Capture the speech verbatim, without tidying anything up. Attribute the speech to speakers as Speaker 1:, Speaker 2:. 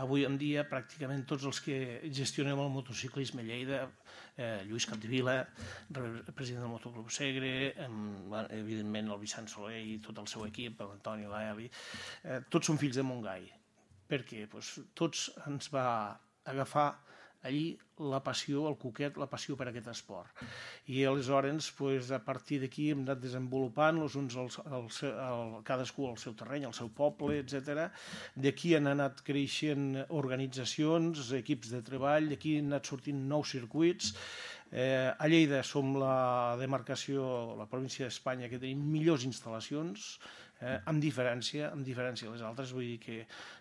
Speaker 1: avui en dia pràcticament tots els que gestionem el motociclisme a Lleida, eh, Lluís Capdevila, president del Motoclub Segre, amb, evidentment el Vicent Soler i tot el seu equip, l'Antoni, l'Eli, eh, tots són fills de Montgai, perquè pues, tots ens va agafar allí la passió, el coquet, la passió per aquest esport. I aleshores, pues, a partir d'aquí hem anat desenvolupant-los, uns al, al, al, cadascú al seu terreny, al seu poble, etcètera. D'aquí han anat creixent organitzacions, equips de treball, d'aquí han anat sortint nous circuits. Eh, a Lleida som la demarcació, la província d'Espanya, que tenim millors instal·lacions, eh, amb diferència, amb diferència a les altres. Vull dir que